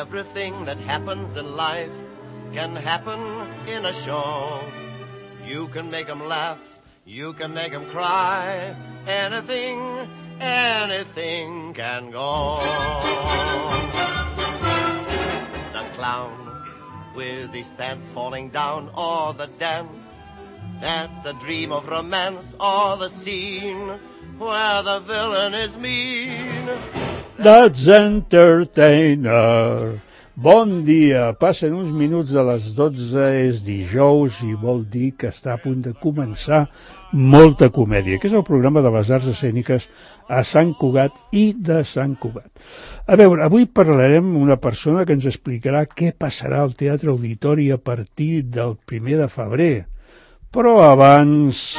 Everything that happens in life can happen in a show. You can make 'em laugh, you can make 'em cry. Anything can go. The clown with his pants falling down, or the dance that's a dream of romance, or the scene where the villain is mean. That's Entertainer. Bon dia, passen uns minuts de les 12, és dijous i vol dir que està a punt de començar Molta Comèdia, que és el programa de les arts escèniques a Sant Cugat i de Sant Cugat. A veure, avui parlarem amb una persona que ens explicarà què passarà al Teatre Auditori a partir del 1 de febrer. Però abans...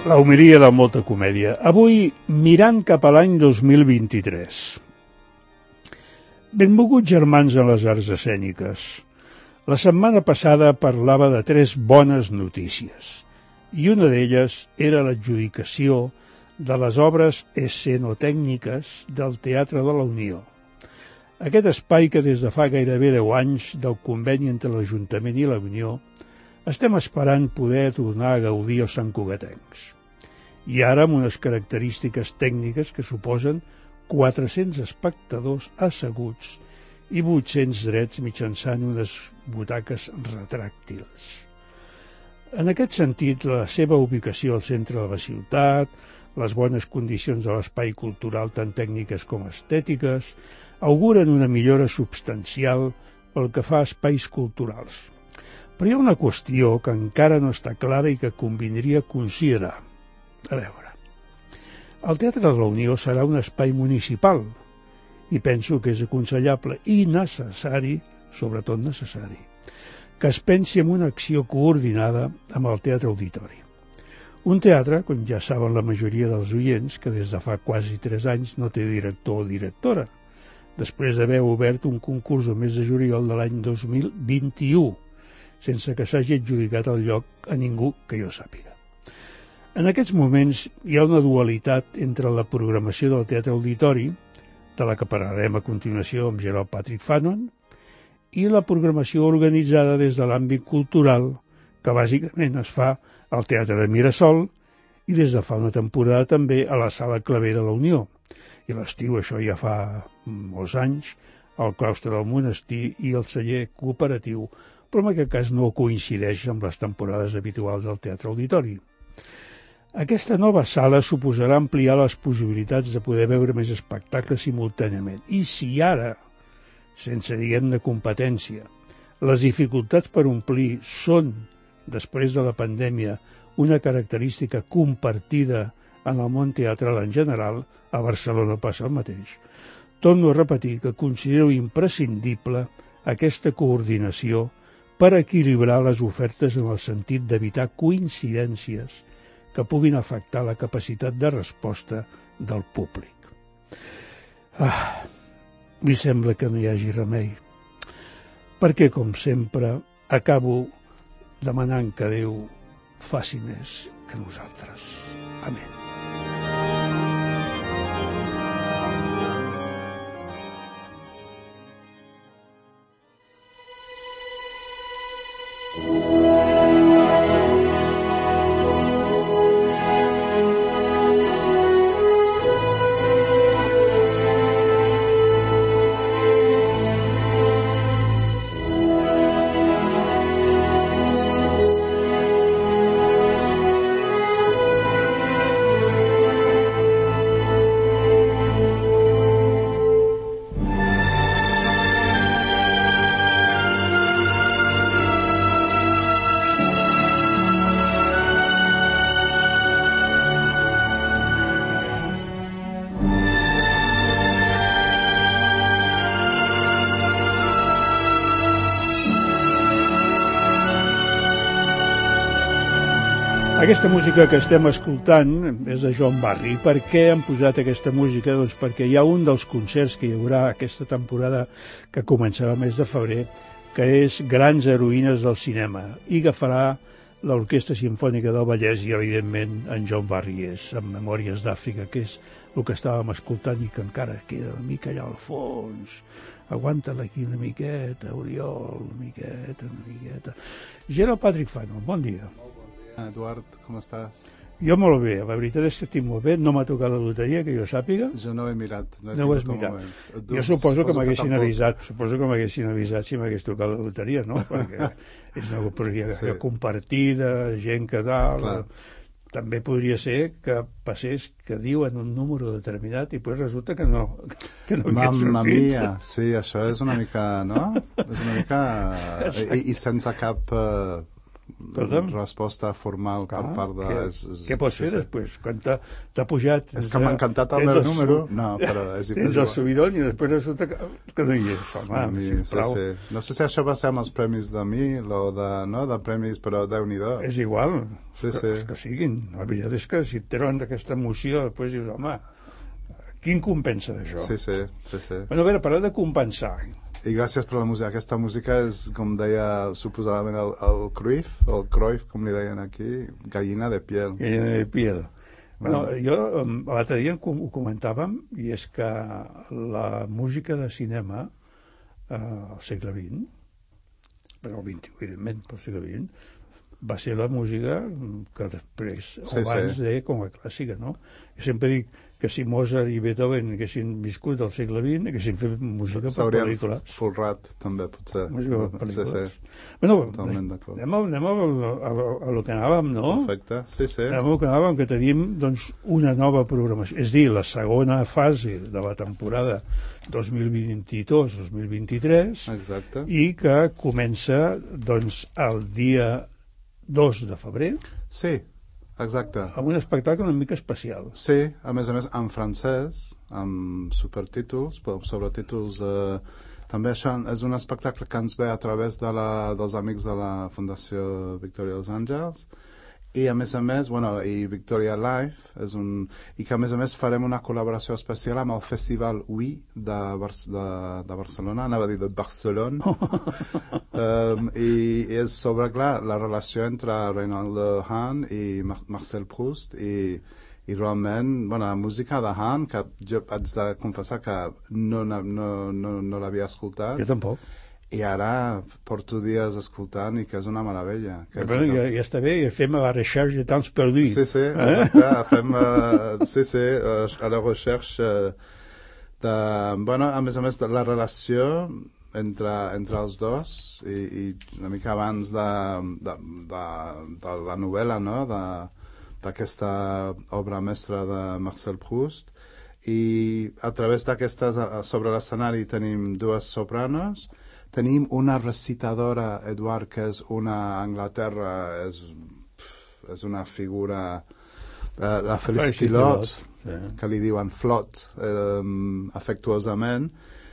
la homilia de Molta Comèdia. Avui, mirant cap a l'any 2023. Benvolguts germans en les arts escèniques. La setmana passada parlava de 3 bones notícies, i una d'elles era l'adjudicació de les obres escenotècniques del Teatre de la Unió. Aquest espai que des de fa gairebé 10 anys del conveni entre l'Ajuntament i la Unió estem esperant poder tornar a gaudir els santcugatencs. I ara amb unes característiques tècniques que suposen 400 espectadors asseguts i 800 drets mitjançant unes butaques retràctils. En aquest sentit, la seva ubicació al centre de la ciutat, les bones condicions de l'espai cultural tant tècniques com estètiques, auguren una millora substancial pel que fa a espais culturals. Però hi ha una qüestió que encara no està clara i que convindria considerar. A veure, el Teatre de la Unió serà un espai municipal i penso que és aconsellable i necessari, sobretot necessari, que es pensi en una acció coordinada amb el Teatre Auditori. Un teatre, com ja saben la majoria dels oients, que des de fa quasi 3 anys no té director o directora, després d'haver obert un concurs el mes de juliol de l'any 2021, sense que s'hagi adjudicat el lloc a ningú que jo sàpiga. En aquests moments hi ha una dualitat entre la programació del Teatre Auditori, de la que parlarem a continuació amb Gerald Patrick Fanon, i la programació organitzada des de l'àmbit cultural, que bàsicament es fa al Teatre de Mirasol i des de fa una temporada també a la Sala Claver de la Unió. I a l'estiu, això ja fa molts anys, el claustre del monestir i el celler cooperatiu, però en aquest cas no coincideix amb les temporades habituals del Teatre Auditori. Aquesta nova sala suposarà ampliar les possibilitats de poder veure més espectacles simultàniament. I si ara, sense diguem-ne competència, les dificultats per omplir són, després de la pandèmia, una característica compartida en el món teatral en general, a Barcelona passa el mateix. Torno a repetir que considero imprescindible aquesta coordinació per equilibrar les ofertes en el sentit d'evitar coincidències que puguin afectar la capacitat de resposta del públic. Mi sembla que no hi hagi remei, perquè, com sempre, acabo demanant que Déu faci més que nosaltres. Amén. Aquesta música que estem escoltant és de Joan Barry. Per què han posat aquesta música? Doncs perquè hi ha un dels concerts que hi haurà aquesta temporada que començarà el mes de febrer, que és Grans heroïnes del cinema, i agafarà l'Orquestra Simfònica del Vallès i, evidentment, en John Barries, amb Memòries d'Àfrica, que és el que estàvem escoltant i que encara queda una mica allà al fons. Aguanta-la aquí una miqueta, Oriol, una miqueta. Gerald Patrick Fanon, bon dia. Molt bon dia, Eduard, com estàs? Jo molt bé, la veritat és que estic molt bé, no m'ha tocat la loteria, que jo sàpiga. Jo no ho he mirat. No ho has mirat. Jo suposo que m'haguessin avisat si m'hagués tocat la loteria, no? Perquè és una loteria compartida, gent que dalt... També podria ser que passés que diuen un número determinat i després resulta que no Mamma mia, sí, això és una mica, no? És una mica... I sense cap resposta formal per part de... Què pots fer després? Quan t'ha pujat... És que m'ha encantat el meu número. No, però és igual. Tens el subidon i després resulta que no hi és. Home, sisplau. No sé si això va ser amb els premis de Mil o de premis, però Déu-n'hi-do. És igual, que siguin. La veritat és que si et treuen d'aquesta emoció, després dius, home, quin compensa d'això? Sí. Bueno, a veure, parlar de compensar... I gràcies per la música. Aquesta música és, com deia suposadament el Cruyff, com li deien aquí, gallina de piel. Gallina de piel. Bueno, jo l'altre dia ho comentàvem, i és que la música de cinema al segle XX, però el XX, evidentment, pel segle XX, va ser la música que després, abans de com a clàssica, no? Jo sempre dic que si Mozart i Beethoven haguessin viscut al segle XX, haguessin fet música per pel·lícules. S'haurien folrat, també, potser. Música per pel·lícules. Bueno, anem a lo que anàvem, no? Perfecte, sí. Anem a lo que anàvem, que tenim, doncs, una nova programació. És dir, la segona fase de la temporada 2022-2023. Exacte. I que comença, doncs, el dia 2 de febrer. Sí, exacte. Amb un espectacle una mica especial. Sí, a més, en francès, amb subtítols, sobretítols... També això és un espectacle que ens ve a través dels amics de la Fundació Victoria dels Àngels, i a més, i Victoria Life, i que a més farem una col·laboració especial amb el Festival Oui de Barcelona, anava a dir de Barcelona, i és sobre, clar, la relació entre Reynaldo Hahn i Marcel Proust, i realment, la música de Hahn, que jo haig de confessar que no l'havia escoltat. Jo tampoc. I ara porto dies escoltant i que és una meravella. Ja està bé, fem la recherche de temps perdus. Sí, exacte, fem a la recherche de... a més, de la relació entre els dos i una mica abans de la novel·la, no?, d'aquesta obra mestra de Marcel Proust. I a través d'aquestes, sobre l'escenari tenim dues sopranos, tenim una recitadora, Eduard, que és una Anglaterra, és una figura, la Felicity Lott, que li diuen Flot, afectuosament,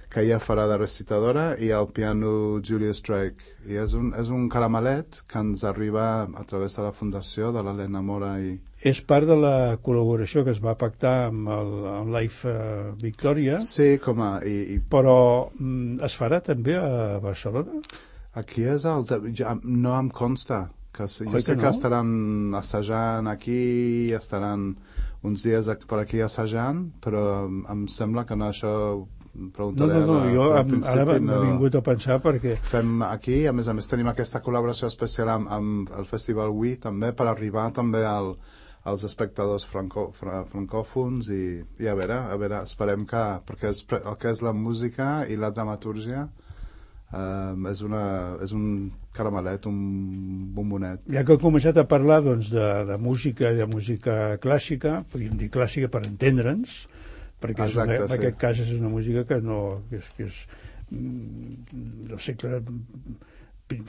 que ella farà de recitadora, i al piano Julius Drake. I és un caramelet que ens arriba a través de la fundació de l'Helena Mora. És part de la col·laboració que es va pactar amb Life Victoria. Sí, però es farà també a Barcelona? Aquí no em consta. Jo sé que estaran assajant aquí, estaran uns dies per aquí assajant, però em sembla que no, això... No, jo ara m'he vingut a pensar perquè... Fem aquí, a més tenim aquesta col·laboració especial amb el Festival Oui, també, per arribar també als espectadors francòfons, i a veure, esperem que... Perquè el que és la música i la dramatúrgia és un caramelet, un bombonet. Ja que hem començat a parlar de música i de música clàssica, podríem dir clàssica per entendre'ns, perquè en aquest cas és una música que és del segle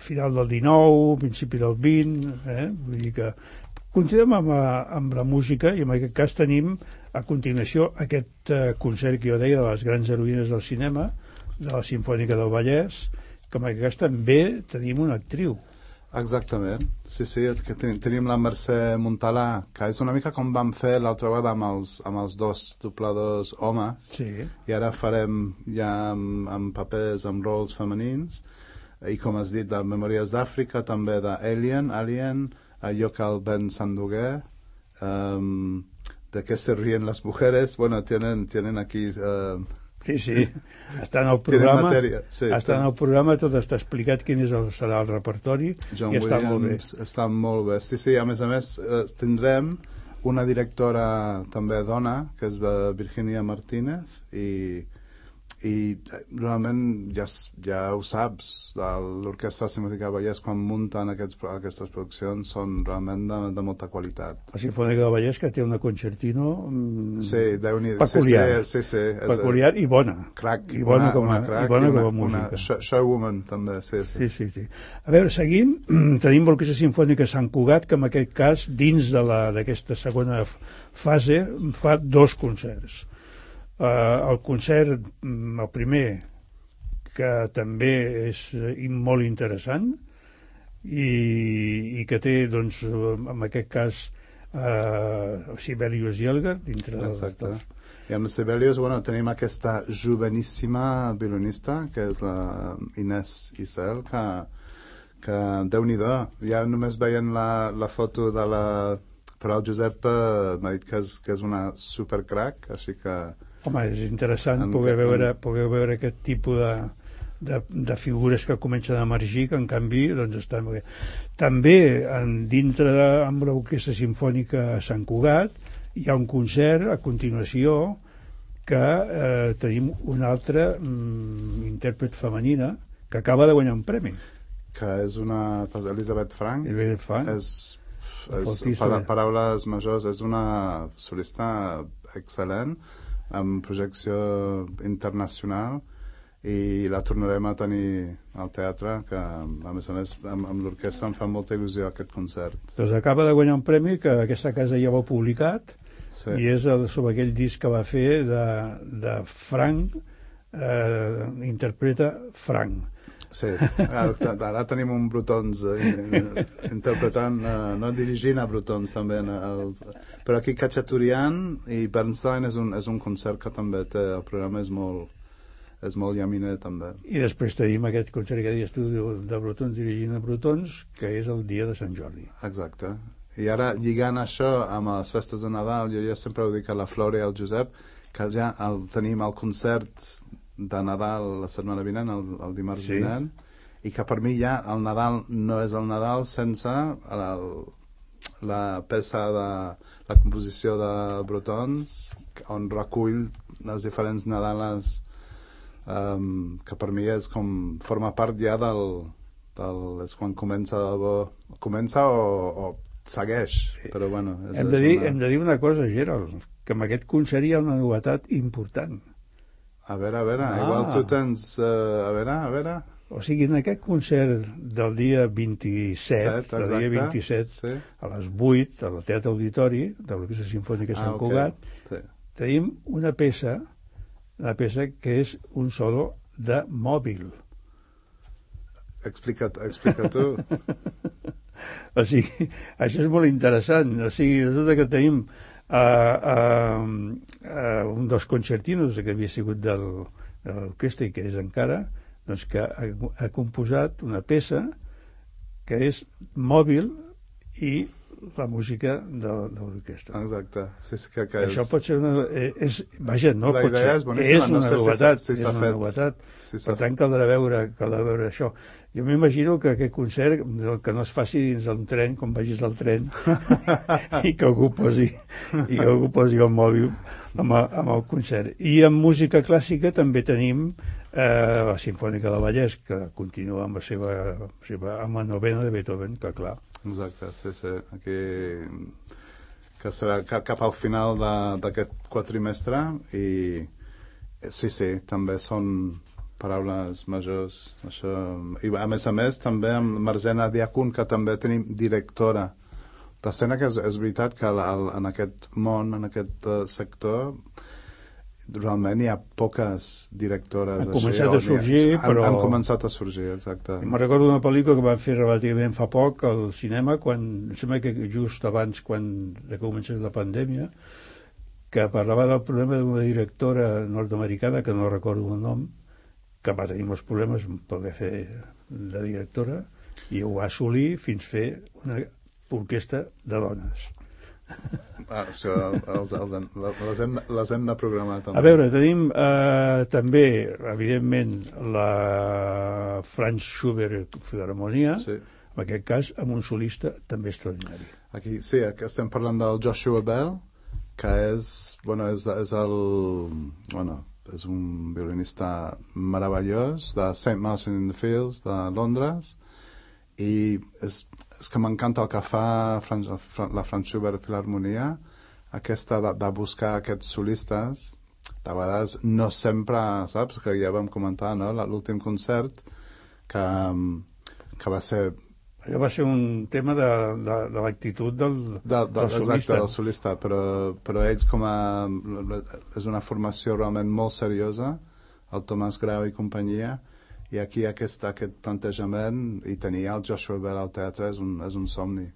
final del XIX, principi del XX, vull dir que continuem amb la música, i en aquest cas tenim a continuació aquest concert que jo deia de les grans heroïnes del cinema, de la Simfònica del Vallès, que en aquest cas també tenim una actriu. Exactament, sí, que tenim la Mercè Montalà, que és una mica com vam fer l'altra vegada amb els dos dobladors homes, i ara farem ja amb papers, amb rols femenins, i com has dit, de Memòries d'Àfrica, també d'Alien, allò que el Ben s'endugué, de què se ríen les mujeres, bueno, tienen aquí... Sí, està en el programa, sí, en el programa, tot està explicat quin serà el repertori, John i està molt bé. Està molt bé. Sí, a més, tindrem una directora també dona, que és Virginia Martínez, i realment ja ho saps, l'Orquestra Simfònica de Vallès, quan munten aquestes produccions, són realment de molta qualitat. La Simfònica de Vallès, que té una concertino peculiar, peculiar i bona. Crac, i bona com a música. Una showwoman, també, sí. A veure, seguim. Tenim l'Orquestra Simfònica Sant Cugat, que en aquest cas, dins d'aquesta segona fase, fa 2 concerts. El concert, el primer, que també és molt interessant i que té, doncs, en aquest cas, Sibelius Jelgar dintre de... Exacte. I amb Sibelius, tenim aquesta joveníssima violonista, que és la Inés Isel, que Déu-n'hi-do, ja només veient la foto de la... Però el Josep m'ha dit que és una supercrac, així que... Home, és interessant poder veure aquest tipus de figures que comencen a emergir, que en canvi doncs, estan molt bé. També dintre amb l'Orquestra Simfònica Sant Cugat hi ha un concert a continuació que tenim una altra intèrpret femenina que acaba de guanyar un premi. Que és una... Elisabeth Frank. És paraules majors, és una solista excel·lent, amb projecció internacional, i la tornarem a tenir al teatre, que a més amb l'orquestra em fa molta il·lusió aquest concert. Doncs acaba de guanyar un premi que aquesta casa ja ho ha publicat, i és sobre aquell disc que va fer de Frank, interpreta Frank. Sí, ara tenim un Brutons interpretant, no dirigint a Brutons també, però aquí Khachaturian i Bernstein és un concert que també té, el programa és molt llaminer també. I després tenim aquest concert que dius tu de Brutons dirigint a Brutons, que és el dia de Sant Jordi. Exacte. I ara lligant això amb les festes de Nadal, jo ja sempre ho dic a la Flora i al Josep, que ja tenim el concert de Nadal la setmana vinent, el dimarts vinent, i que per mi ja el Nadal no és el Nadal sense la peça de la composició de Brutons, on recull les diferents Nadales, que per mi és com forma part ja és quan comença o segueix, però bueno, hem de dir una cosa, Gerald, que amb aquest concert hi ha una novetat important. A veure, igual tu tens... A veure... O sigui, en aquest concert del dia 27, a les 8, al Teatre Auditori, de l'Orquestra Simfònica Sant Cugat, tenim una peça que és un solo de mòbil. Explica tu. O sigui, això és molt interessant. O sigui, resulta que tenim un dels concertinos que havia sigut de l'orquestra i que és encara, doncs que ha composat una peça que és mòbil i la música de l'orquestra. Exacte. Això pot ser una... Vaja, no pot ser. És una novetat. És una novetat. Per tant, caldrà veure això. Jo m'imagino que aquest concert, que no es faci dins d'un tren, com vagis al tren, i que algú posi el mòbil amb el concert. I en música clàssica també tenim la Simfònica de Vallès, que continua amb la novena de Beethoven, que clar. Exacte, sí. Aquí, que serà cap al final d'aquest quatrimestre, i sí, també són paraules majors, això. I a més també amb Marzena Diakun, que també tenim directora d'escena, que és veritat que en aquest món, en aquest sector, realment hi ha poques directores. Han començat a sorgir, però... Han començat a sorgir, exacte. Me'n recordo una pel·lícula que van fer relativament fa poc al cinema, em sembla que just abans de que comencés la pandèmia, que parlava del problema d'una directora nord-americana, que no recordo el nom, que va tenir molts problemes per poder fer de directora, i ho va assolir fins fer una orquestra de dones. Això les hem de programar també. A veure, tenim també, evidentment, la Franz Schubert Filharmonia, Sí. en aquest cas amb un solista també extraordinari. Aquí estem parlant del Joshua Bell, que és un violinista meravellós de St. Martin in the Fields de Londres, i és que m'encanta el que fa la Franz Schubert Filharmonia, aquesta de buscar aquests solistes. De vegades no sempre, saps, que ja vam comentar, no? L'últim concert que va ser... Allò va ser un tema de l'actitud del solista. Exacte, del solista, però ells és una formació realment molt seriosa, el Tomàs Grau i companyia, i aquí aquest plantejament, i tenir el Joshua Bell al teatre és un somni.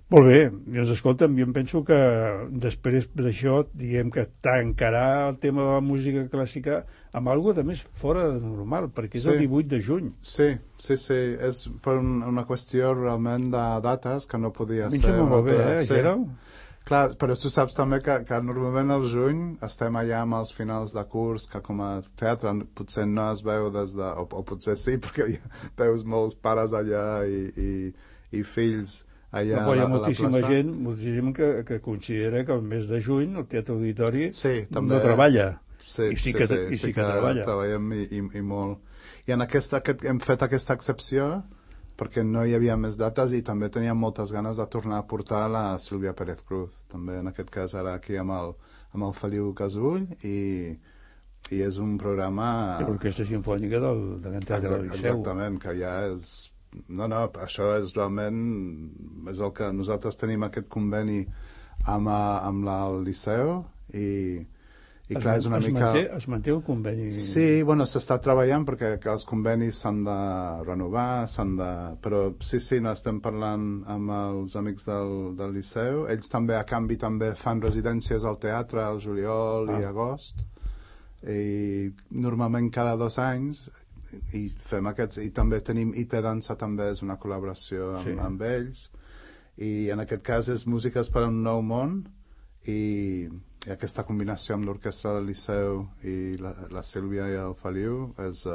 Molt bé, doncs escolta'm, jo em penso que després d'això diguem que tancarà el tema de la música clàssica amb alguna de més fora de normal, perquè és el 18 de juny. Sí, és per una qüestió realment de dates que no podia ser. A mi em sembla molt bé, Gerald? Clar, però tu saps també que normalment al juny estem allà amb els finals de curs, que com a teatre potser no es veu o potser sí, perquè veus molts pares allà i fills allà no, hi ha a la plaça. Moltíssima gent que considera que el mes de juny el Teatre Auditori també, no treballa. Sí que treballa. Treballem i molt. I en hem fet aquesta excepció perquè no hi havia més dates i també teníem moltes ganes de tornar a portar la Sílvia Pérez Cruz, també en aquest cas ara aquí amb el Feliu Casull, i és un programa... L'Orquestra Simfònica de l'Antena del Liceu. Exactament, que ja és... No, això és realment... És el que nosaltres tenim aquest conveni amb el Liceu i clar, és una mica... Es manté el conveni? Sí, s'està treballant perquè els convenis s'han de renovar, però sí, no estem parlant amb els amics del Liceu. Ells també, a canvi, també fan residències al teatre al juliol i agost, i normalment cada 2 anys i fem aquests, i també tenim IT Dansa, també és una col·laboració amb ells, i en aquest cas és Músiques per a un nou món, i aquesta combinació amb l'orquestra del Liceu i la Sílvia i el Feliu és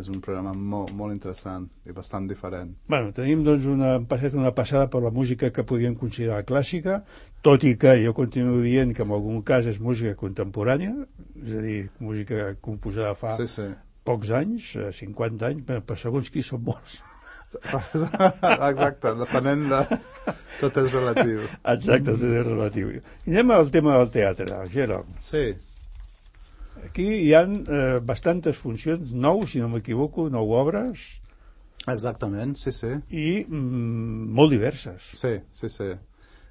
un programa molt interessant i bastant diferent. Bueno, tenim doncs una passada per la música que podíem considerar clàssica, tot i que jo continuo dient que en algun cas és música contemporània, és a dir, música composada fa pocs anys, 50 anys, per segons qui són molts. Exacte, depenent de... Tot és relatiu. Exacte, tot és relatiu. I anem al tema del teatre, Gerald. Sí. Aquí hi ha bastantes funcions, 9, si no m'equivoco, 9 obres. Exactament, sí. I molt diverses. Sí.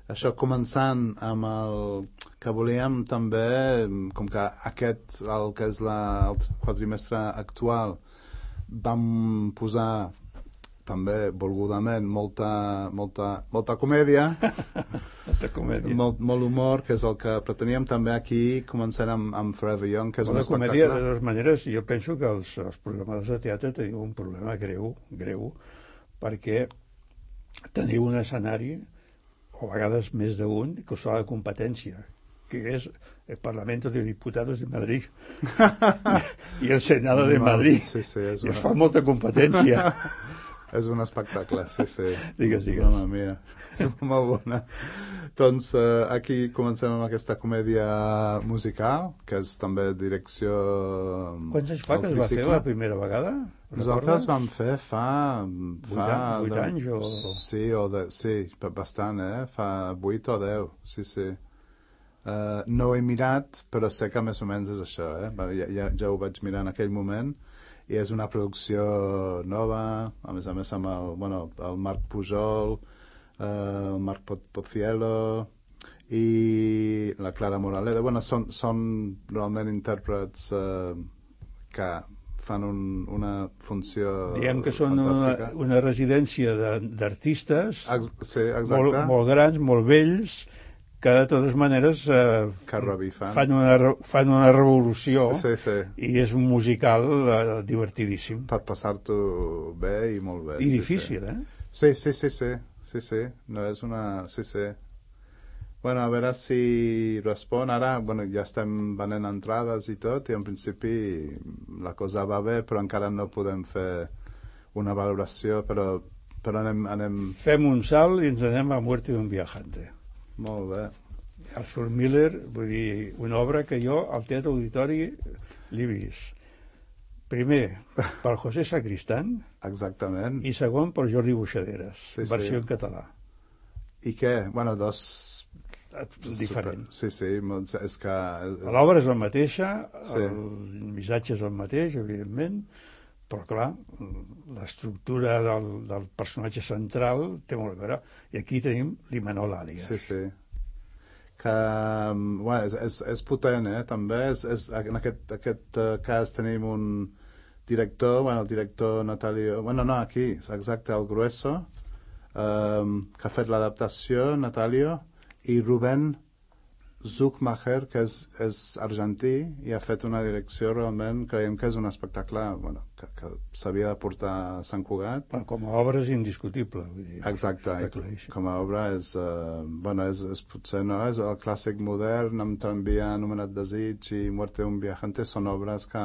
Això començant amb el que volíem també, com que aquest, el que és el quadrimestre actual, vam posar també volgudament molta comèdia, molt humor, que és el que preteníem també aquí. Començant amb Forever Young, que és un espectacle. Comèdia, de totes maneres, jo penso que els programadors de teatre teniu un problema greu, perquè teniu un escenari, o a vegades més d'un, que us fa la competència, que és el Parlamento de Diputados de Madrid i el Senado de Madrid. Sí, i es fa molta competència. És un espectacle, sí. Digues. Mamma mia, és molt bona. Doncs aquí comencem amb aquesta comèdia musical, que és també direcció... Quants anys fa que es va fer la primera vegada? Nosaltres vam fer fa 8 anys o... Sí, bastant, fa 8 o 10, sí. No ho he mirat, però sé que més o menys és això, ja ho vaig mirar en aquell moment. I és una producció nova, a més amb el Marc Pujol, el Marc Pocielo i la Clara Moraleda. Són realment intèrprets que fan una funció diguem que són una residència d'artistes molt grans, molt vells, que de totes maneres fan una revolució i és un musical divertidíssim. Per passar-t'ho bé i molt bé. I difícil, Sí. no és una... Sí. Bueno, a veure si respon. Ara, bueno, ja estem venent entrades i tot, i en principi la cosa va bé, però encara no podem fer una valoració, però anem... Fem un salt i ens anem a Muerte d'un viajante. Molt bé. Arthur Miller, vull dir, una obra que jo al Teatre Auditori l'he vist. Primer, per José Sacristán. Exactament. I segon, per Jordi Buixaderes, versió en català. I què? Bueno, dos... Diferent. Sí, és que... L'obra és la mateixa, el missatge és el mateix, evidentment, però clar, l'estructura del personatge central té molt a veure. I aquí tenim l'Imanol Àlies. Sí. Que, bueno, és potent, també. En aquest cas tenim un director, el director Natalio... Bueno, no, aquí, exacte, el Grueso, que ha fet l'adaptació, Natalio, i Rubén Zuckmacher, que és argentí, i ha fet una direcció realment, creiem que és un espectacle que s'havia de portar a Sant Cugat. Com a obra és indiscutible. Vull dir, exacte, com a obra és potser no, és el clàssic modern, amb Tramvia, Anomenat Desig i Muerte d'un viajante, són obres que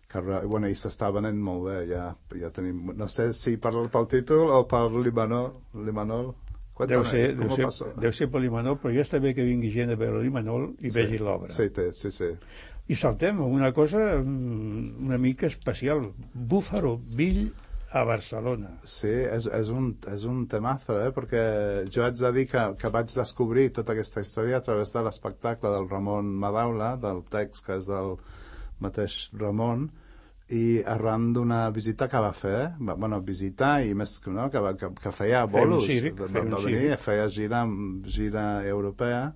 i s'està venent molt bé, ja tenim, no sé si pel títol o per l'Imanol. Deu ser per l'Imanol, però ja està bé que vingui gent a veure l'Imanol i vegi l'obra. Sí. I saltem a una cosa una mica especial. Búfaro Bill a Barcelona. Sí, és un temazo, perquè jo haig de dir que vaig descobrir tota aquesta història a través de l'espectacle del Ramon Madaula, del text que és del mateix Ramon, i arran d'una visita que va fer, visitar i més que no, que feia bolos, va venir, feia gira europea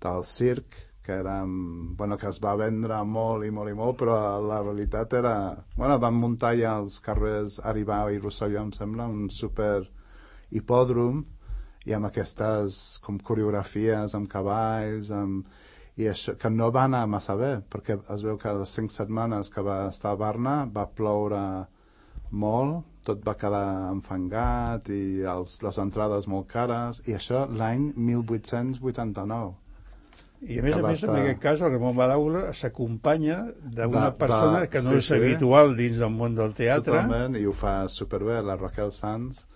del circ, que es va vendre molt, però la realitat era... van muntar ja als carrers Aribau i Rosselló, em sembla, un super hipòdrom, i amb aquestes com coreografies, amb cavalls, i això, que no va anar massa bé, perquè es veu que les 5 setmanes que va estar a Barna va ploure molt, tot va quedar enfangat i les entrades molt cares, i això l'any 1889. I a més, en aquest cas, el Ramon Madaula s'acompanya d'una persona que no és habitual dins del món del teatre. Totalment, i ho fa superbé, la Raquel Sanz,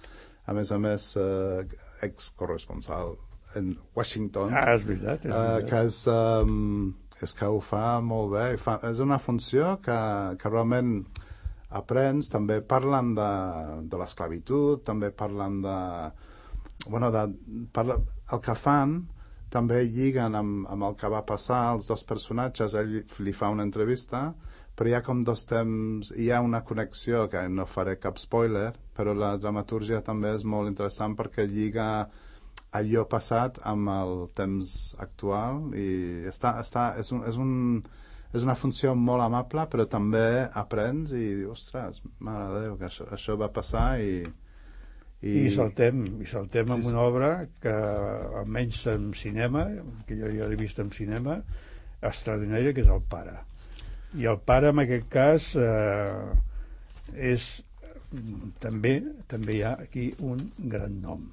a més, ex-corresponsal en Washington. És veritat. Que és que ho fa molt bé. És una funció que realment aprens. També parlen de l'esclavitud, també parlen el que fan, també lliguen amb el que va passar als dos personatges. Ell li fa una entrevista, però hi ha com dos temps, hi ha una connexió, que no faré cap spoiler, però la dramatúrgia també és molt interessant perquè lliga allò passat amb el temps actual, i és una funció molt amable, però també aprens i dius, ostres, mare de Déu, que això va passar. I saltem amb una obra que almenys en cinema, que jo ja l'he vist en cinema, extraordinària, que és El Pare. I El Pare, en aquest cas, és també hi ha aquí un gran nom,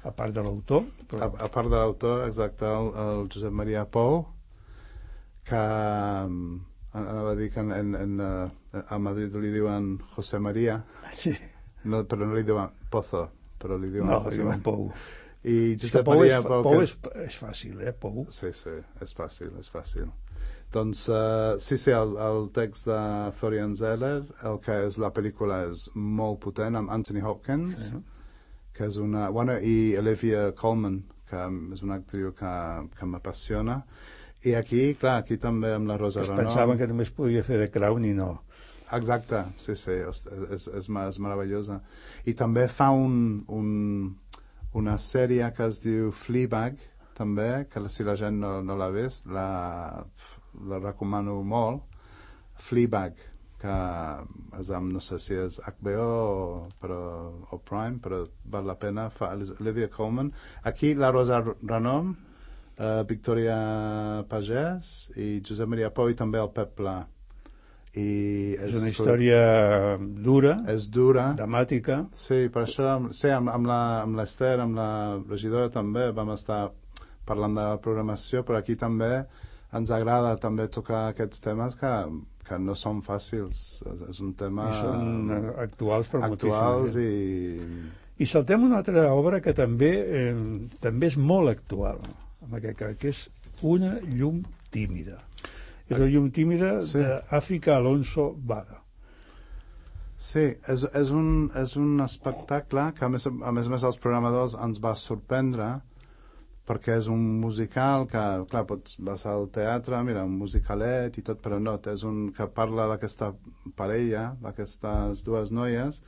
a part de l'autor. A part de l'autor, exacte, el Josep Maria Pou, que anava a dir que a Madrid li diuen José María, sí. No, però no li diuen Pozo, però li diuen José María Pou. I Josep Maria Pou és fàcil, Pou? Sí, és fàcil. Doncs, el text de Florian Zeller, el que és la pel·lícula és molt potent, amb Anthony Hopkins, que és una... i Olivia Colman, que és una actriu que m'apassiona. I aquí també amb la Rosa Renom... Pensaven que només podia fer de Crown i no. Exacte, sí, és meravellosa. I també fa una sèrie que es diu Fleabag, també, que si la gent no l'ha vist, la recomano molt. Fleabag, que és amb, no sé si és HBO o Prime, però val la pena, fa Olivia Colman. Aquí la Rosa Renom, Victoria Pagès i Josep Maria Pou, i també el Pep Pla. i és una història dura, és dura, dramàtica. sí, per això sí, amb l'Ester, amb la regidora també vam estar parlant de la programació, però aquí també ens agrada també tocar aquests temes que no són fàcils, és un tema I són actuals per actuals moltíssim. I saltem una altra obra que també és molt actual, en aquest cas, que és Una llum tímida. És la llum tímida d'Àfrica Alonso Vaga. Sí, és un espectacle que a més els programadors ens va sorprendre perquè és un musical que, clar, vas al teatre, mira, un musicalet i tot, però no, és un que parla d'aquesta parella, d'aquestes dues noies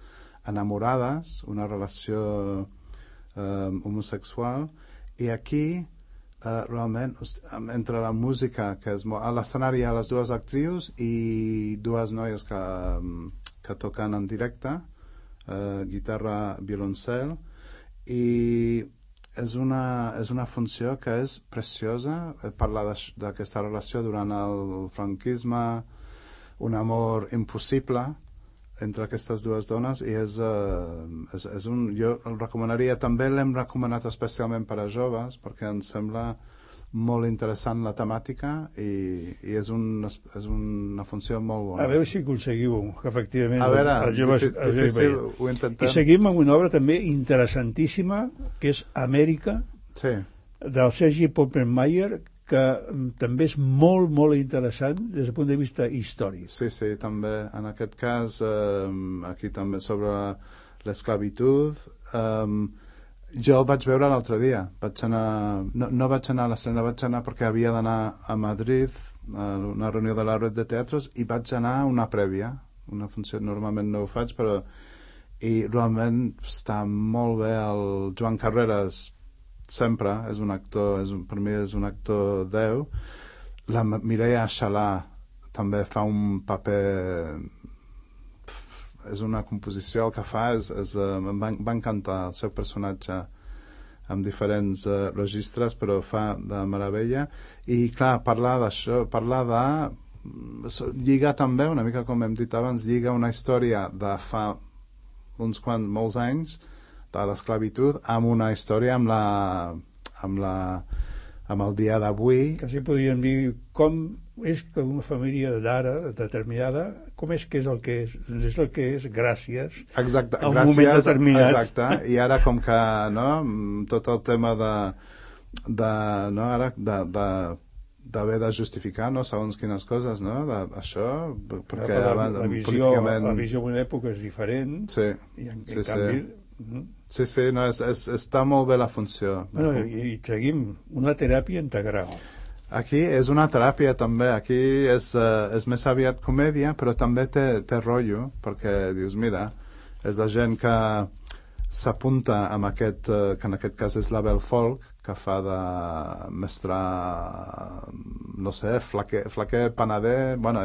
enamorades, una relació homosexual, i aquí realment, entre la música, que és a l'escenari hi ha les dues actrius i dues noies que toquen en directe, guitarra, violoncel, i és una funció que és preciosa, parla d'aquesta relació durant el franquisme, un amor impossible entre aquestes dues dones, i jo el recomanaria, també l'hem recomanat especialment per a joves, perquè ens sembla molt interessant la temàtica i és una funció molt bona. A veure si aconseguiu que efectivament a veure, els joves difícil, ho intentem. I seguim amb una obra també interessantíssima, que és Amèrica, sí, del Sergi Poppenmayer, que també és molt, molt interessant des del punt de vista històric. Sí, també. En aquest cas, aquí també sobre l'esclavitud, jo el vaig veure l'altre dia. No vaig anar a l'estrena, vaig anar perquè havia d'anar a Madrid, a una reunió de la Red de Teatros, i vaig anar a una prèvia, una funció, normalment no ho faig, però i realment està molt bé. El Joan Carreras sempre és un actor, per mi és un actor 10. La Mireia Xalà també fa un paper, és una composició, el que fa em va encantar el seu personatge amb diferents registres, però fa de meravella. I clar, parlar d'això, lliga també, una mica com hem dit abans, lliga una història de fa molts anys de l'esclavitud amb una història amb el dia d'avui. Quasi podríem dir com és que una família d'ara determinada, com és que és el que és? És el que és gràcies a un moment determinat. Exacte, i ara com que tot el tema d'haver de justificar segons quines coses, això, perquè abans políticament... La visió d'una època és diferent, i en canvi... Sí, està molt bé la funció. Bueno, i seguim, una teràpia integral. Aquí és una teràpia també, aquí és més aviat comèdia, però també té rotllo, perquè dius, mira, és la gent que s'apunta amb aquest, que en aquest cas és l'Abel Folk, que fa de mestre, no sé, flaquer panader, bueno,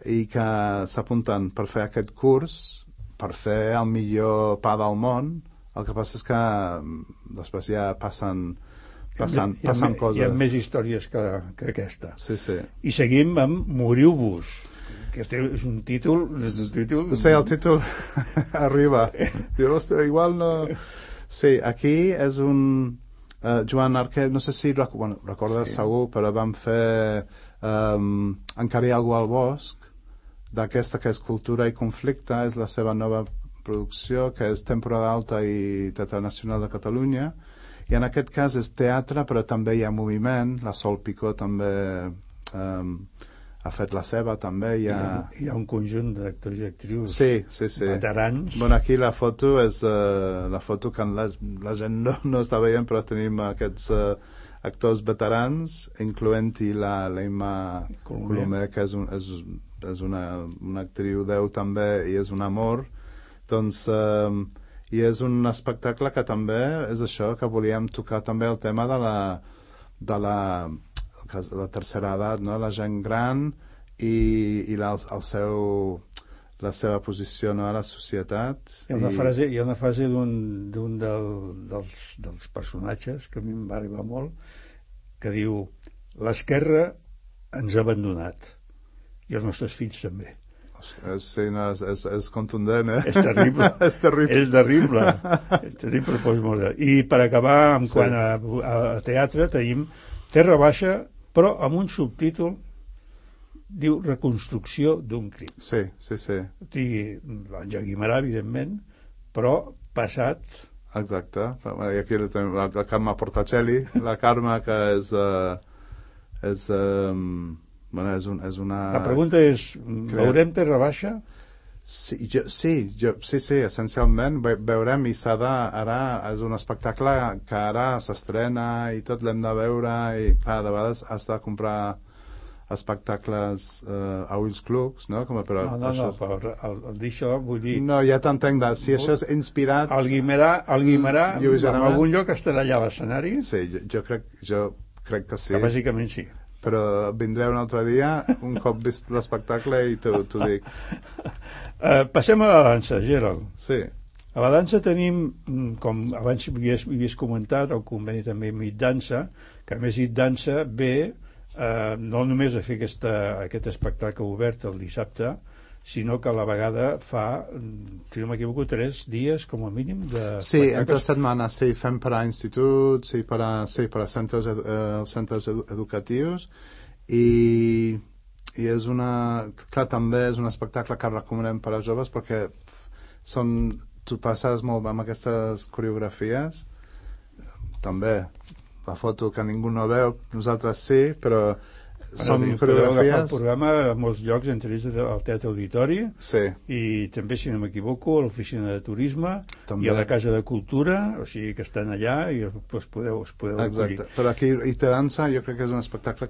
i que s'apunten per fer aquest curs, per fer el millor pa del món. El que passa és que després ja passen coses. Hi ha més històries que aquesta. Sí. I seguim amb Moriu-vos, que és un títol... Sí, el títol arriba. Diu, ostres, igual no... Sí, aquí és un... Joan Arquer, no sé si recordes segur, però vam fer Encara hi ha algú al bosc, d'aquesta que és Cultura i conflicte, és la seva nova producció, que és Temporada Alta i Teatre Nacional de Catalunya, i en aquest cas és teatre, però també hi ha moviment. La Sol Picó també ha fet la seva, també hi ha un conjunt d'actors i actrius veterans. Bueno, aquí la foto és la foto que la gent no està veient, però tenim aquests actors veterans, incloent-hi l'Emma Colomer, que és una actriu 10 també, i és un amor. Doncs i és un espectacle que també és això, que volíem tocar també el tema de la tercera edat, no? La gent gran i la seva posició, no, a la societat. Hi ha una frase d'un dels personatges que a mi em va arribar molt, que diu: l'esquerra ens ha abandonat I els nostres fills també. Sí, no, és contundent, eh? És terrible. És terrible. És terrible. És terrible, postmodern. I per acabar, quant a teatre, tenim Terra Baixa, però amb un subtítol, diu Reconstrucció d'un crim. Sí. O sigui, l'Àngel Guimerà, evidentment, però passat... Exacte. I aquí tenim la Carme Portacelli, la Carme que és una... La pregunta és, veurem Terra Baixa? Sí, essencialment veurem, i ara és un espectacle que ara s'estrena i tot l'hem de veure, i clar, de vegades has de comprar espectacles a ulls clucs, no? Però al dir això vull dir... No, ja t'entenc, si això és inspirat... El Guimerà en algun lloc estarà allà a l'escenari? Sí, jo crec que sí. Que bàsicament sí. Però vindré un altre dia, un cop vist l'espectacle, i t'ho dic. Passem a la dansa, Gerald. Sí. A la dansa tenim, com abans havies comentat, el conveni també Mit Dansa, que a més Mit Dansa ve no només a fer aquest espectacle obert el dissabte, sinó que a la vegada fa, si no m'equivoco, 3 dies com a mínim de... Sí, entre setmanes, sí, fem per a instituts, per a centres educatius, i és clar, també és un espectacle que recomanem per a joves, perquè tu passes molt amb aquestes coreografies, també la foto que ningú no veu, nosaltres sí, però són coreografies... El programa a molts llocs, entre ells al Teatre Auditori, i també, si no m'equivoco, a l'Oficina de Turisme, i a la Casa de Cultura, o sigui que estan allà i us podeu acollir. Però aquí Ite Dansa jo crec que és un espectacle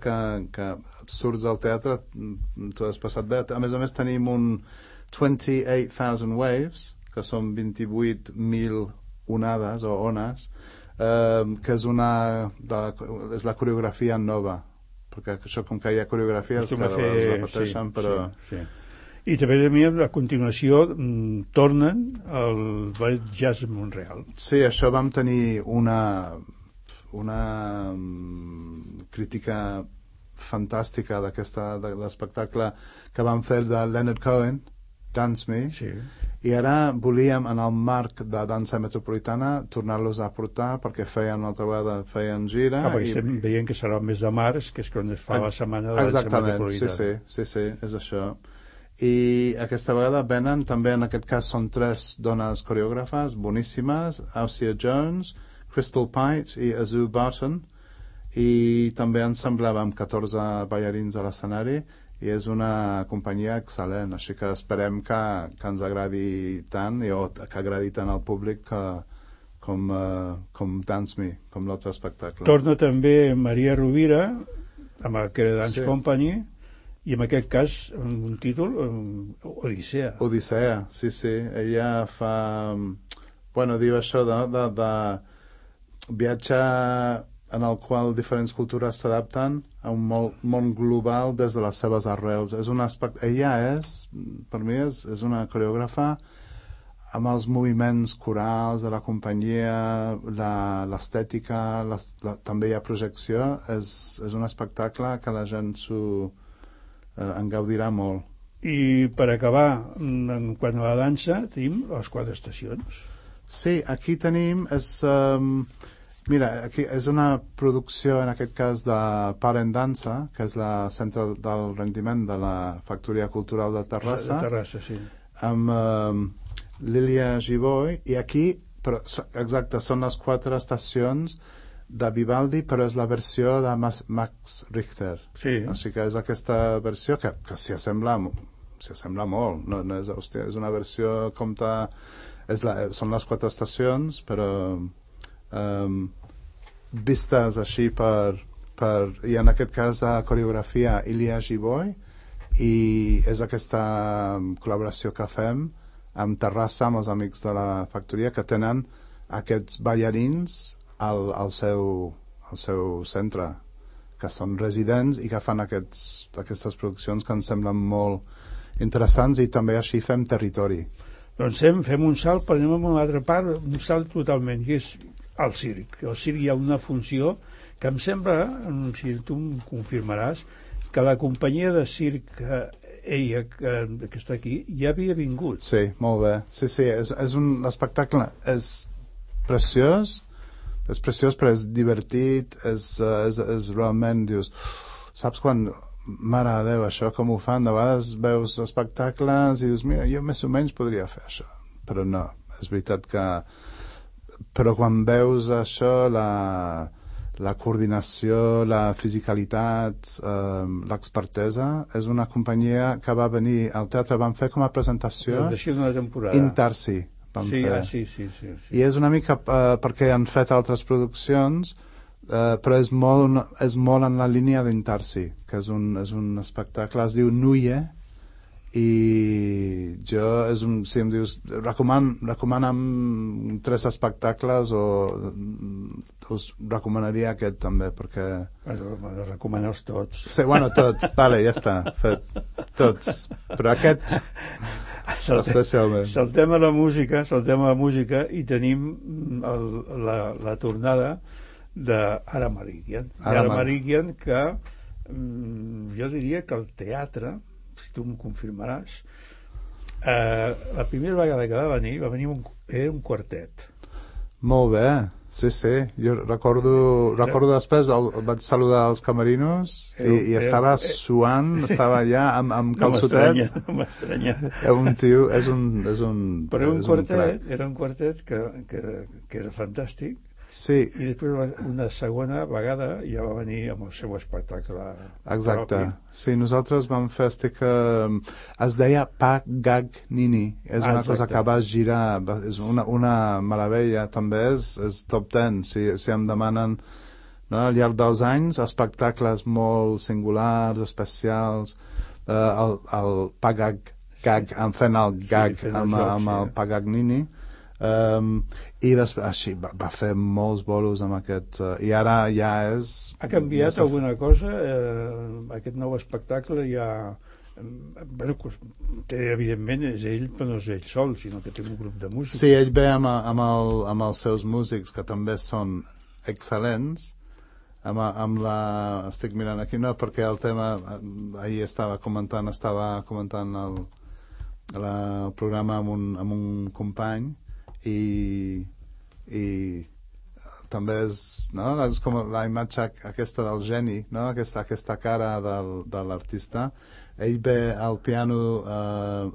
que surts del teatre, t'ho has passat bé. A més tenim un 28,000 Waves, que són 28.000 onades o ones, que és la coreografia nova, perquè això, com que hi ha coreografies que es repeteixen, però... Sí. I també a continuació tornen al Ballet Jazz Montreal. Sí, això vam tenir una crítica fantàstica de l'espectacle que vam fer de Leonard Cohen, Dance Me, i ara volíem, en el marc de dansa metropolitana, tornar-los a portar, perquè una altra vegada feien gira. Perquè estem veient que serà el mes de març, que és quan es fa la setmana de dansa metropolitana. Exactament, sí, és això. I aquesta vegada venen, també en aquest cas són 3 dones coreògrafes boníssimes, Ausia Jones, Crystal Pite i Azul Barton, i també ensemblàvem 14 ballarins a l'escenari, i és una companyia excel·lent, així que esperem que ens agradi tant, o que agradi tant al públic com Dance Me, com l'altre espectacle. Torna també Maria Rovira amb el Credit Dance Company, i en aquest cas un títol, Odissea. Odissea, sí. Ella fa... diu això de viatge en el qual diferents cultures s'adapten a un món global des de les seves arrels. Ella per mi és una coreògrafa amb els moviments corals de la companyia, l'estètica, també hi ha projecció. És un espectacle que la gent en gaudirà molt. I per acabar, quan a la dansa, tenim les 4 estacions. Sí, aquí tenim... Mira, aquí és una producció, en aquest cas, de Parent Dansa, que és la centre del rendiment de la Factoria Cultural de Terrassa. De Terrassa, sí. Amb Lilia Giboy, i aquí, exacte, són les 4 estacions de Vivaldi, però és la versió de Max Richter. Sí. O sigui que és aquesta versió que s'hi assembla molt. No és una versió són les 4 estacions, però... vistes així i en aquest cas la coreografia Ilia Giboy, i és aquesta col·laboració que fem amb Terrassa, amb els amics de la factoria, que tenen aquests ballarins al seu centre, que són residents i que fan aquestes produccions que ens semblen molt interessants, i també així fem territori. Doncs fem un salt, però anem a una altra part, un salt totalment, que és al circ. Al circ hi ha una funció que em sembla, si tu em confirmaràs, que la companyia de circ ella, que està aquí, ja havia vingut. Sí, molt bé. Sí, és un espectacle, és preciós, però és divertit, és realment, dius, saps quan, mare de Déu, això com ho fan? De vegades veus espectacles i dius, mira, jo més o menys podria fer això, però no, és veritat que... Però quan veus això, la coordinació, la fisicalitat, l'expertesa, és una companyia que va venir al teatre, van fer com a presentació d'una temporada. Intarsi van fer. Sí. I és una mica perquè han fet altres produccions, però és molt en la línia d'Intarsi, que és un espectacle, es diu Nuye, i jo si em dius recomana'm 3 espectacles us recomanaria aquest també perquè recomanar-los tots. Sí, bueno, tots, vale, ja està fet, tots, però aquest especialment. Saltem a la música i tenim la tornada d'Ara Malikian, que jo diria que el teatre, si tu m'ho confirmaràs, la primera vegada que va venir era un quartet. Molt bé, sí, jo recordo després vaig saludar els camerinos i estava suant, estava allà amb calçotets. No m'estranya. Un tio, és un però era un quartet que era fantàstic. Sí. I després una segona vegada ja va venir amb el seu espectacle. Exacte. Propi. Sí, nosaltres vam fer es deia Pagag Nini. És una cosa que va girar, és una meravella, també és top 10, si em demanen, no? Al llarg dels anys, espectacles molt singulars, especials, el Pagag Gag, fent el gag amb el Pagag Nini. I després així va fer molts bolos amb aquest i ara ja és... Ha canviat alguna cosa? Aquest nou espectacle ja... evidentment és ell, però no és ell sol, sinó que té un grup de músics. Sí, ell ve amb els seus músics, que també són excel·lents. Estic mirant aquí, no, perquè el tema ahir estava comentant el programa amb un company i també és com la imatge aquesta del geni, no? aquesta cara de l'artista. Ell ve al piano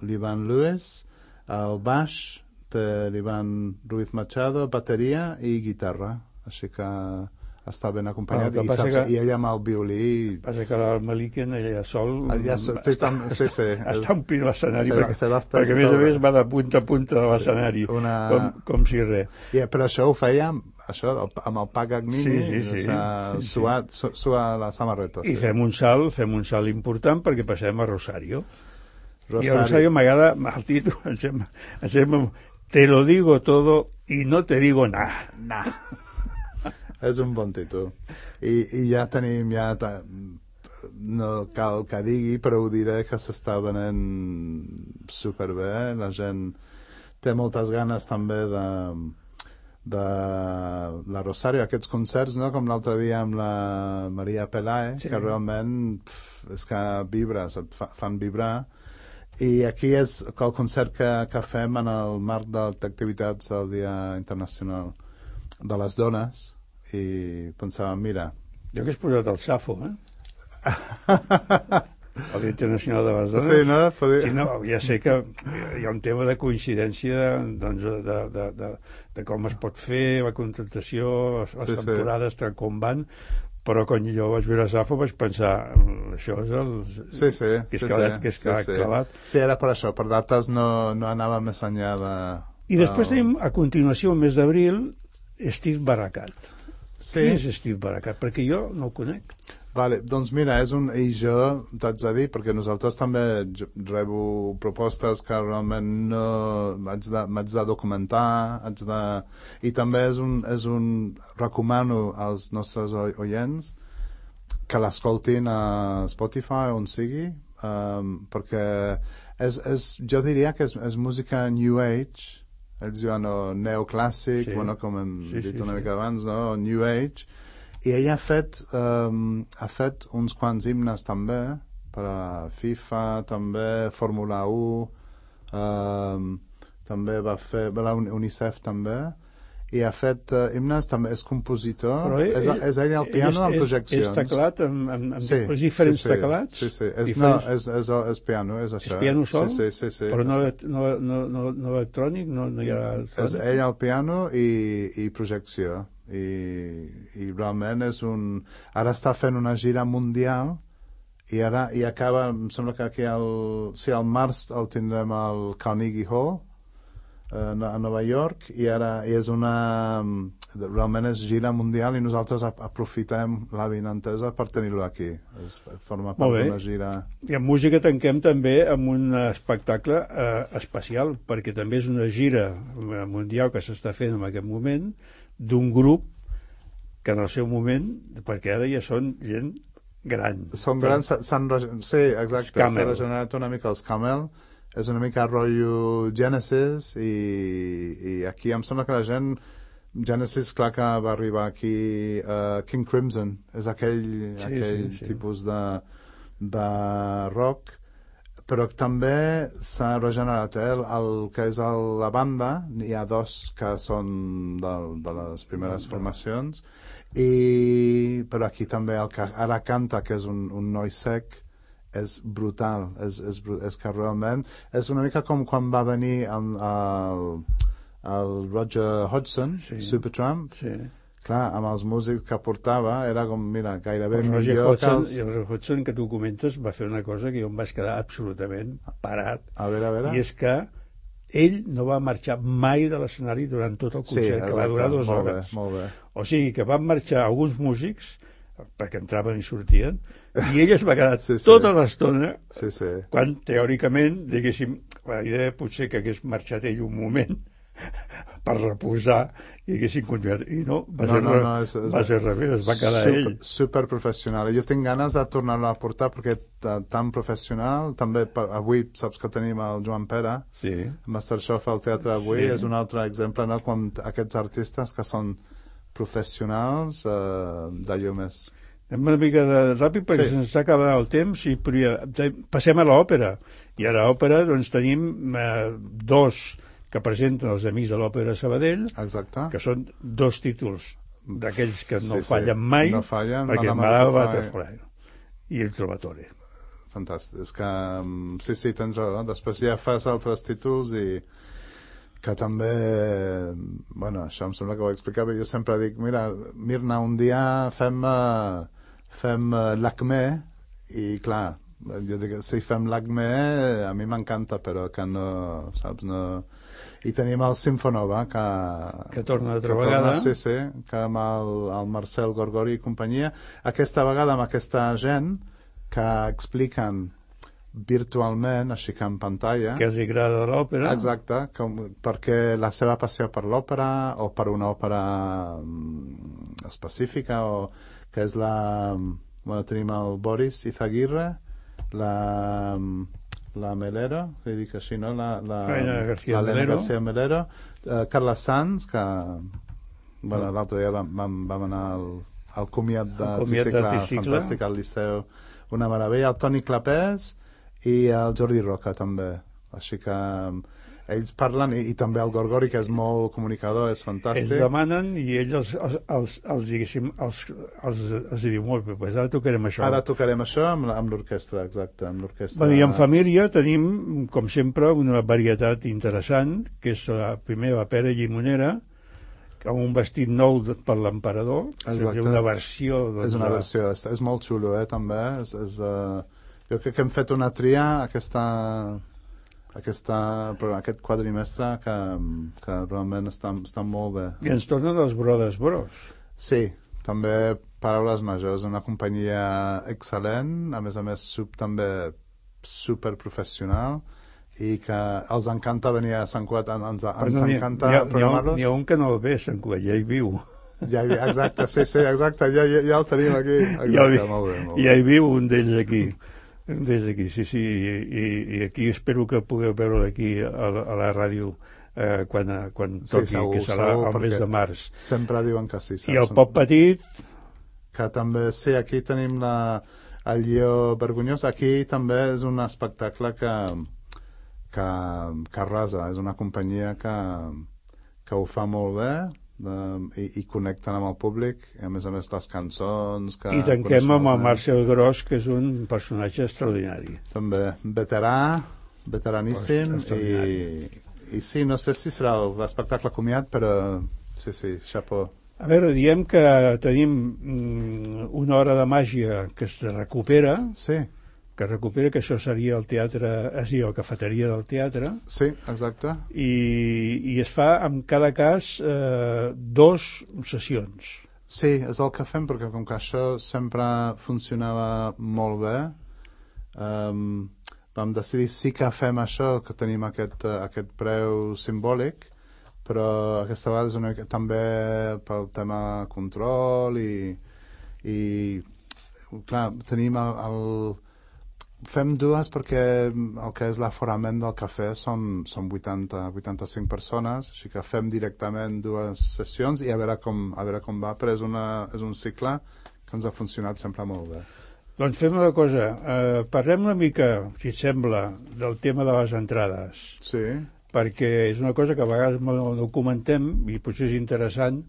l'Ivan Lewis, al baix té l'Ivan Ruiz Machado, bateria i guitarra, així que està ben acompanyat, i ella amb el violí. Passa que el Malikian ella sol està omplint l'escenari, perquè a més va de punta a punta de l'escenari, com si res. Però això ho feia amb el Pagag Nini, suar la samarreta. I fem un salt important perquè passem a Rosario. I a Rosario m'agrada el títol, te lo digo todo y no te digo nada. És un bon títol. I ja tenim, no cal que digui, però ho diré que s'està venent superbé. La gent té moltes ganes també de la Rosario, aquests concerts, no? Com l'altre dia amb la Maria Pelae, que realment és que vibres, et fan vibrar. I aquí és el concert que fem en el marc d'activitats del Dia Internacional de les Dones, i pensàvem, mira... Jo que has posat el Safo, el Dia Internacional de les Dones. Sí, no? I no, ja sé que hi ha un tema de coincidència, doncs, de com es pot fer, la contractació, les temporades, com van, però quan jo vaig veure Safo vaig pensar, això és el... que és clavat. Sí, era per això, per dates no anava més enllà de... I després tenim, a continuació, el mes d'abril, Steve Barakat. Sí. Qui és Steve Barakat? Perquè jo no el conec. Vale, doncs mira, i jo t'haig de dir, perquè nosaltres també rebo propostes que realment no m'haig de documentar, i també recomano als nostres oients que l'escoltin a Spotify, on sigui, perquè jo diria que és música New Age. Ells diuen neoclàssic, com hem dit una mica abans, no? New Age, i ella ha fet uns quants himnes també per a FIFA, també Fórmula 1, també va fer la UNICEF també, i ha fet himnes, també és compositor. És ell al piano amb projeccions. És teclat amb diferents teclats? Sí. És piano, és això. És piano sol? Sí. Però no electrònic? No hi ha electrònic? És ell al piano i projecció. I realment és un... Ara està fent una gira mundial i acaba, em sembla que aquí al març el tindrem al Carnegie Hall a Nova York i és realment és gira mundial i nosaltres aprofitem l'avinentesa per tenir-lo aquí. Forma part d'una gira. I en música tanquem també amb un espectacle especial, perquè també és una gira mundial que s'està fent en aquest moment d'un grup que en el seu moment, perquè ara ja són gent gran. Són grans, sí, exacte, s'ha regenerat una mica els Camel. És una mica rotllo Genesis i aquí em sembla que la gent Genesis, clar que va arribar aquí King Crimson, és aquell tipus de rock, però també s'ha regenerat el que és la banda, hi ha dos que són de les primeres formacions però aquí també el que ara canta, que és un noi sec, és brutal, és que realment és una mica com quan va venir el Roger Hodgson, Supertramp, clar, amb els músics que portava era com, mira, gairebé millor que els... I el Roger Hodgson que tu comentes va fer una cosa que jo em vaig quedar absolutament parat, a veure. I és que ell no va marxar mai de l'escenari durant tot el concert, que va durar 2 hores. Molt bé. O sigui que van marxar alguns músics perquè entraven i sortien, i ell es va quedar tota l'estona, quan teòricament, diguéssim, la idea potser que hagués marxat ell un moment per reposar i haguessin continuat, i no, va ser revés, es va quedar ell. Super professional. Jo tinc ganes de tornar-lo a portar perquè tan professional, també avui saps que tenim el Joan Pera, Masterchef al teatre avui, és un altre exemple, no? Quan aquests artistes que són professionals d'allò més. Anem una mica ràpid perquè se'ns està acabant el temps i passem a l'òpera. I a l'òpera doncs tenim 2 que presenten els Amics de l'Òpera Sabadell, que són 2 títols d'aquells que no fallen mai, perquè Madame Butterfly i El Trovatore. Fantàstic. És que sí, tens raó. Després ja fas altres títols i que també, bueno, això em sembla que ho explicava, jo sempre dic, mira, Mirna, un dia fem l'Acme, i clar, jo dic, si fem l'Acme a mi m'encanta, però que no, saps, no... I tenim el Sinfonova, que torna altra vegada. Sí, que amb el Marcel Gorgori i companyia, aquesta vegada amb aquesta gent que expliquen virtualment, així que en pantalla, que els agrada l'òpera, exacte, perquè la seva passió per l'òpera o per una òpera específica, o que és tenim el Boris Izaguirre, la Melero, que dic així, no? Elena García Melero, Carles Sanz, que l'altre dia vam anar al comiat de tricicle fantàstic al Liceu, una meravella, el Toni Clapés i el Jordi Roca també, així que ells parlen, i també el Gorgori, que és molt comunicador, és fantàstic. Ells demanen i ells els diu molt bé, pues ara tocarem això. Ara tocarem això amb l'orquestra, exacte, amb l'orquestra. I en família tenim, com sempre, una varietat interessant, que és la primera Pere Llimonera, amb un vestit nou per l'emperador, una versió... És una versió, és molt xulo, també. Jo crec que hem fet una tria aquest quadrimestre que realment està molt bé. I ens tornen els Brothers Bros. Sí, també Paraules Majors, una companyia excel·lent, a més també superprofessional, i que els encanta venir a Sant Cugat, ens encanta programar-los. N'hi ha un que no ve a Sant Cugat, ja hi viu. Exacte, sí, exacte, ja el tenim aquí. Exacte, molt bé. Ja hi viu un d'ells aquí. Sí, i aquí espero que pugueu veure aquí a la ràdio quan toqui, que serà el mes de març. Sempre diuen que sí. I el Pop Petit... Que també, sí, aquí tenim el Lleó Vergonyós. Aquí també és un espectacle que arrasa, és una companyia que ho fa molt bé i connecten amb el públic, i a més les cançons i tanquem amb el Marcel Gros, que és un personatge extraordinari, també veteraníssim, i sí, no sé si serà l'espectacle comiat, però sí, xapó. A veure, diem que tenim una hora de màgia que es recupera, sí, que això seria el teatre, és a dir, la cafeteria del teatre. Sí, exacte. I es fa, en cada cas, 2 sessions. Sí, és el que fem, perquè com que això sempre funcionava molt bé, vam decidir sí que fem això, que tenim aquest preu simbòlic, però aquesta vegada és una mica també pel tema control i clar, tenim fem 2 perquè el que és l'aforament del cafè són 85 persones, així que fem directament 2 sessions i a veure com va, però és un cicle que ens ha funcionat sempre molt bé. Doncs fem una cosa, parlem una mica, si et sembla, del tema de les entrades. Sí. Perquè és una cosa que a vegades no comentem i potser és interessant,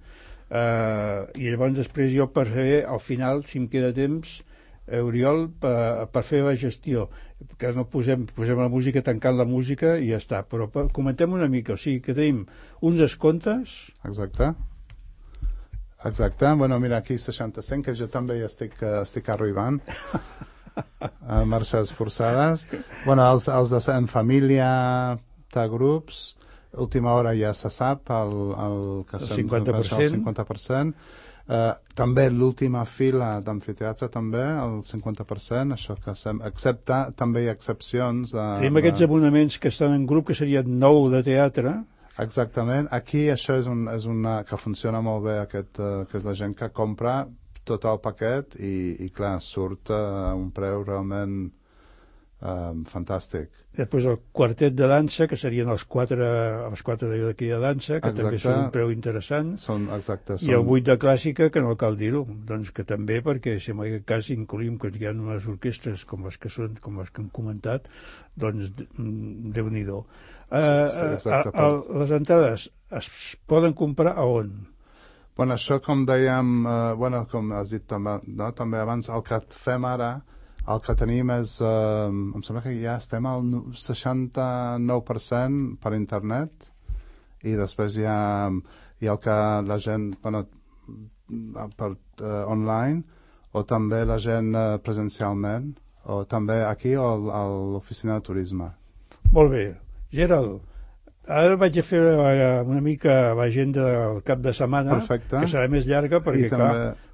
i llavors després jo per fer, al final, si em queda temps, Oriol, per fer la gestió, que no posem la música tancant la música i ja està, però comentem una mica, o sigui que tenim uns descomptes. Exacte, bueno, mira, aquí 65, que jo també hi estic arribant a marxes forçades. Bueno, els de en família de grups, última hora ja se sap el 50%. També l'última fila d'amfiteatre també, el 50%, això que excepte, també hi ha excepcions tenim aquests abonaments que estan en grup, que serien 9 de teatre. Exactament, aquí això és una que funciona molt bé, que és la gent que compra tot el paquet i clar, surt a un preu realment fantàstic. Després el quartet de dansa, que serien els 4 d'aquí de dansa, que exacte. També són un preu interessant. Exacte. I el 8 de clàssica, que no cal dir-ho, doncs que també, perquè si en aquest cas incluïm que hi ha unes orquestres com les que hem comentat, doncs Déu-n'hi-do. Les entrades es poden comprar a on? Bueno, això com dèiem, com has dit també abans, el que fem ara, el que tenim és, em sembla que ja estem al 69% per internet, i després hi ha el que la gent, per online, o també la gent presencialment, o també aquí o a l'oficina de turisme. Molt bé. Gerald, ara vaig a fer una mica l'agenda del cap de setmana. Perfecte. Que serà més llarga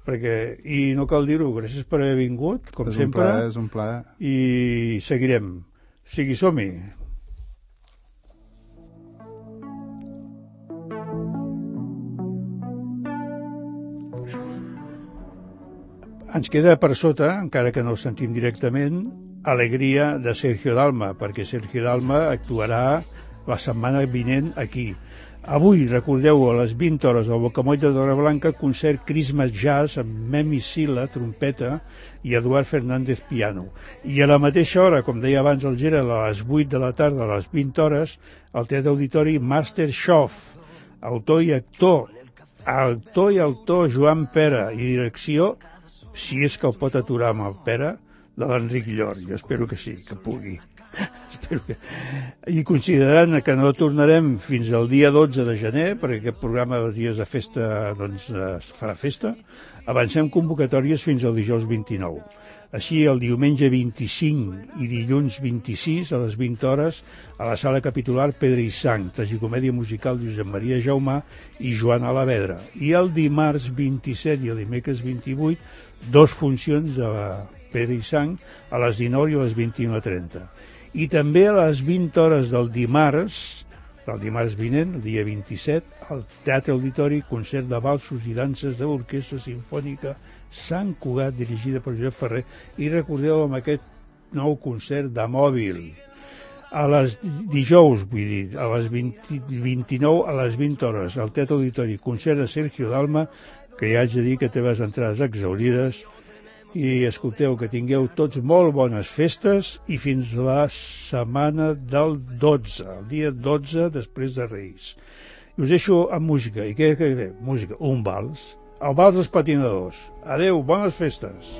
perquè i no cal dir-ho, gràcies per haver vingut, com sempre. És un plaer. I seguirem. O sigui, som-hi. Ens queda per sota, encara que no el sentim directament, Alegria de Sergio Dalma, perquè Sergio Dalma actuarà la setmana vinent aquí. Avui, recordeu-ho, a les 20 hores al Bocamoll de Torreblanca, concert Christmas Jazz amb Memi Sila, trompeta, i Eduard Fernández, piano. I a la mateixa hora, com deia abans el Gerald, a les 8 de la tarda, a les 20 hores, al Teatre Auditori Master Schoff, autor i actor Joan Pera, i direcció, si és que el pot aturar amb el Pera, de l'Enric Llor. Jo espero que sí, que pugui. I considerant que no tornarem fins al dia 12 de gener, perquè aquest programa dels dies de festa doncs es farà festa, avancem convocatòries fins al dijous 29. Així, el diumenge 25 i dilluns 26 a les 20 hores a la sala capitular Pedra i Sang, tragicomèdia musical Josep Maria Jaumà i Joan Alavedra. I el dimarts 27 i el dimecres 28, 2 funcions de Pedra i Sang a les 19 i a les 21:30. I també a les 20 hores del dimarts vinent, el dia 27, al Teatre Auditori, concert de valsos i danses de l'Orquestra Simfònica Sant Cugat, dirigida per Josep Ferrer, i recordeu amb aquest nou concert de mòbil. A les dijous, vull dir, a les 29 a les 20 hores, al Teatre Auditori, concert de Sergio Dalma, que ja haig de dir que té les entrades exaurides, i escolteu, que tingueu tots molt bones festes i fins la setmana del 12, el dia 12 després de Reis. I us deixo amb música. I què? Música, un vals. El vals dels patinadors. Adeu, bones festes.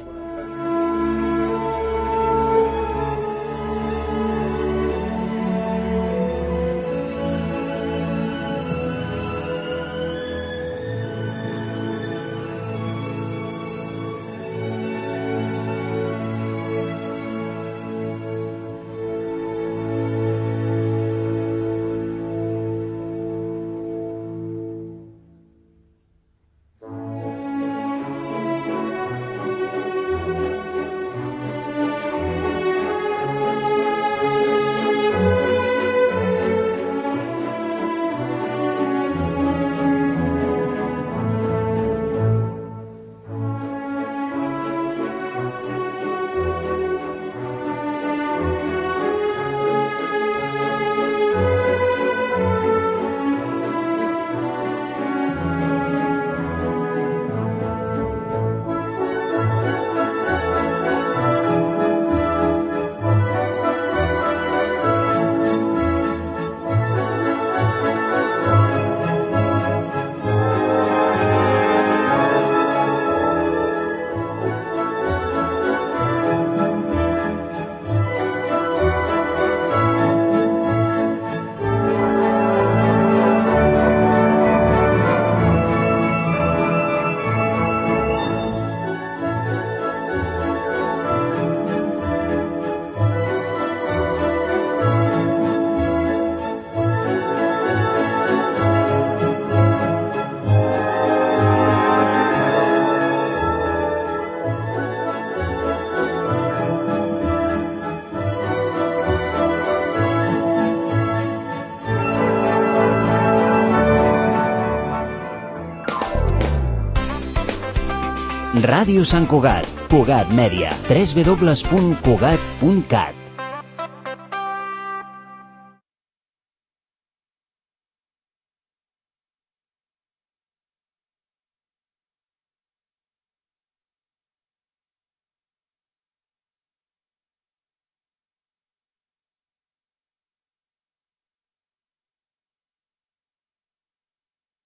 Ràdio Sant Cugat, Cugat Mèdia, www.cugat.cat.